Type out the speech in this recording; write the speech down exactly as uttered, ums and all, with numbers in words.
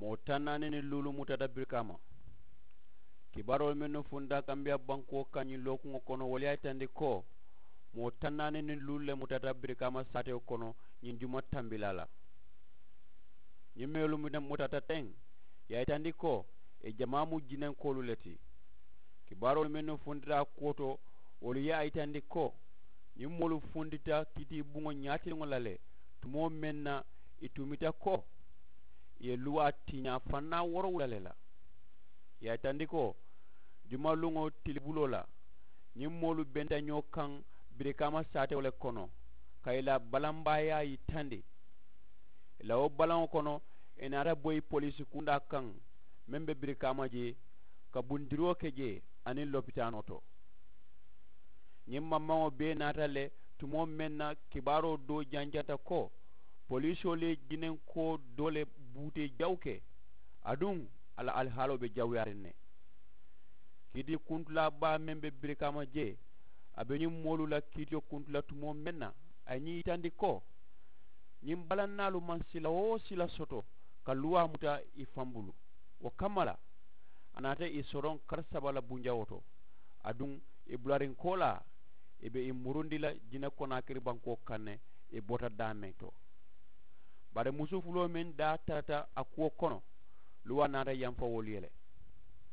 Moo taŋ naani niŋ luulu mutata birikaama. Kibaaroolu mennu funta kambiyaa bankoo kaŋ ñiŋ lookuŋo kono wolu ye a yitandi ko moo taŋ naani niŋ luulu le mutata birikaama saatewo kono ñiŋ juma tambilaa la. Ñiŋ mennu mutata teŋ ye a yitandi ko ì jamaa mu jinenkoolu le ti. Kibaaroolu mennu funtita a kuwo to wolu ye a yitandi ko ñiŋ moolu funtita kiitiibuŋo ñaatiliŋo la le tumoo meŋ na ì tumita ko ì ye luwaa tiñaa fannaa woorowula le la. Ì ye a yitandi ko jumaluŋo tilibuloo la ñiŋ moolu benta ñoo kaŋ birikaama saatewo le kono ka ì la balanbaayaa yitandi. Ì la wo balaŋo kono ì naata boyi poliisi kundaa kaŋ meŋ be birikaama jee ka bundiroo ke jee aniŋ lopitaanoo to. Ñiŋ mammaŋo bee naata le tumoo meŋ na kibaaroo doo janjanta ko poliisoolu ye jinenkoo doo le buutee jawu ke aduŋ a la alihaaloo be jawuyaariŋ ne. Kiiti kuntulaa baa meŋ be birikaama jee a be ñiŋ moolu la kiitiyo kuntu la tumoo meŋ na a ye ñiŋ yitandi ko ñiŋ balannaalu maŋ sila woo sila soto ka luwaa muta ì faŋ bulu. Wo kamma la a naata ì soroŋ kari saba la bunjawoo to aduŋ ì bulariŋ koolaa ì be ì murundi la jine konaakiri bankoo kaŋ ne. Ì bota daameŋ to bari musu fuloo meŋ daa tarata a kuwo kono luwaa naata yamfa wolu ye le.